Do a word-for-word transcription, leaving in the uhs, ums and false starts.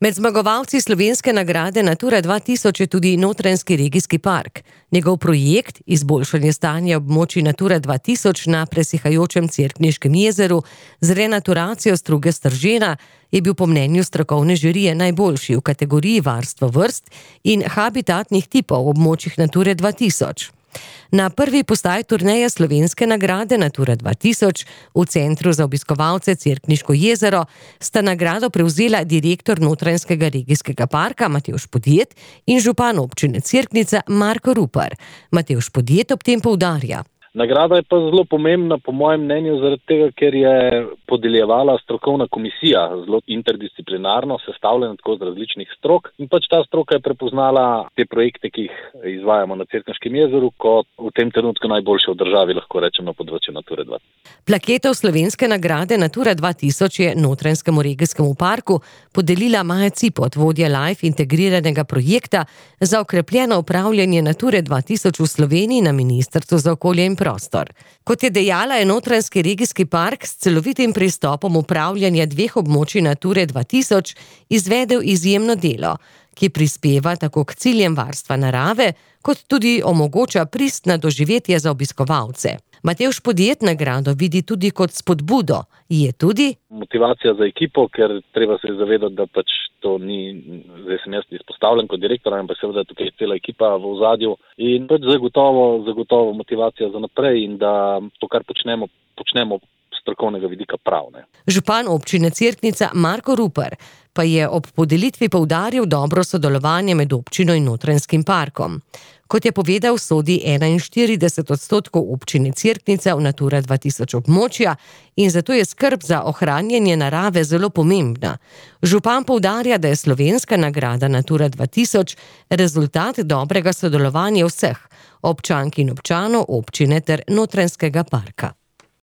Med zmagovalci slovenske nagrade Natura dva tisoč je tudi Notranjski regijski park. Njegov projekt, izboljšanje stanja območij Natura dva tisoč na presihajočem Cerkniškem jezeru z renaturacijo struge Stržena, je bil po mnenju strokovne žirije najboljši v kategoriji varstva vrst in habitatnih tipov v območjih Nature dva tisoč. Na prvi postaji turneje slovenske nagrade Natura dva tisoč v Centru za obiskovalce Cerkniško jezero sta nagrado prevzela direktor Notranjskega regijskega parka Matevž Podjed in župan občine Cerknica Marko Rupar. Matevž Podjed ob tem poudarja: Nagrada je pa zelo pomembna, po mojem mnenju, zaradi tega, ker je podeljevala strokovna komisija, zelo interdisciplinarno, sestavljena tako z različnih strok, in pač ta stroka je prepoznala te projekte, ki jih izvajamo na Cerkniškem jezeru, kot v tem trenutku najboljše v državi, lahko rečem, na področju Nature dva tisoč. Plaketo slovenske nagrade Natura dva tisoč je Notranjskemu regijskemu parku podelila Maja Cipot, vodja Life integriranega projekta za okrepljeno upravljanje Nature dva tisoč v Sloveniji na Ministrstvu za okolje in prostor. Kot je dejala, je Notranjski regijski park s celovitim pristopom upravljanja dveh območij Nature dva tisoč izvedel izjemno delo, ki prispeva tako k ciljem varstva narave, kot tudi omogoča pristna doživetja za obiskovalce. Matevž Podjed nagrado vidi tudi kot spodbudo. Je tudi motivacija za ekipo, ker treba se zavedati, da pač to ni, zdaj sem jaz izpostavljen kot direktor, ampak seveda tukaj je cela ekipa v ozadju in pač zagotovo, zagotovo motivacija za naprej in da to, kar počnemo, počnemo strokovnega vidika prav. Ne. Župan občine Cerknica Marko Rupar pa je ob podelitvi poudaril dobro sodelovanje med občino in Notranjskim parkom. Kot je povedal, sodi enainštirideset odstotkov občine Cerknica v Natura dva tisoč območja in zato je skrb za ohranjanje narave zelo pomembna. Župan poudarja, da je slovenska nagrada Natura dva tisoč rezultat dobrega sodelovanja vseh občank in občanov občine ter Notranjskega parka.